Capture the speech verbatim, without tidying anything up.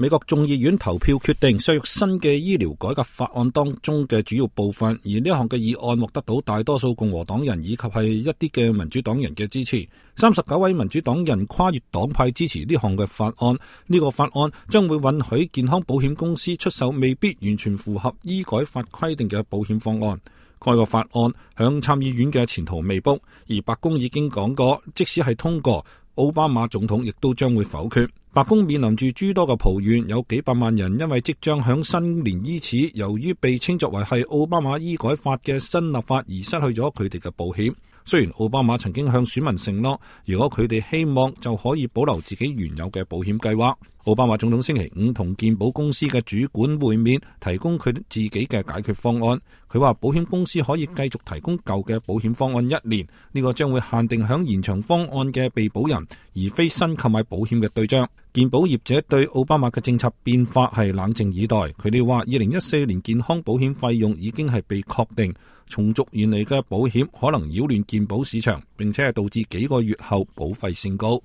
美國眾議院投票決定削弱新嘅醫療改革法案當中嘅主要部分，而呢一項嘅議案獲得到大多數共和黨人以及係一啲嘅民主黨人嘅支持。三十九位民主黨人跨越黨派支持呢項嘅法案。呢、這個法案將會允許健康保險公司出售未必完全符合醫改法規定嘅保險方案。該個法案響參議院嘅前途未卜，而白宮已經講過，即使係通過，奧巴馬總統亦都將會否決。白宮面臨住諸多嘅抱怨，有幾百萬人因為即將響新年伊始，由於被稱作為係奧巴馬醫改法嘅新立法而失去咗佢哋嘅保險。雖然奧巴馬曾經向選民承諾，如果佢哋希望就可以保留自己原有嘅保險計劃。奧巴馬總統星期五同健保公司嘅主管會面，提供佢自己嘅解決方案。佢話保險公司可以繼續提供舊嘅保險方案一年，呢個將會限定響延長方案嘅被保人，而非新購買保險嘅對象。健保業者對奧巴馬嘅政策變化係冷靜以待。佢哋話，二零一四年健康保險費用已經係被確定，重續原嚟嘅保險可能擾亂健保市場，並且係導致幾個月後保費升高。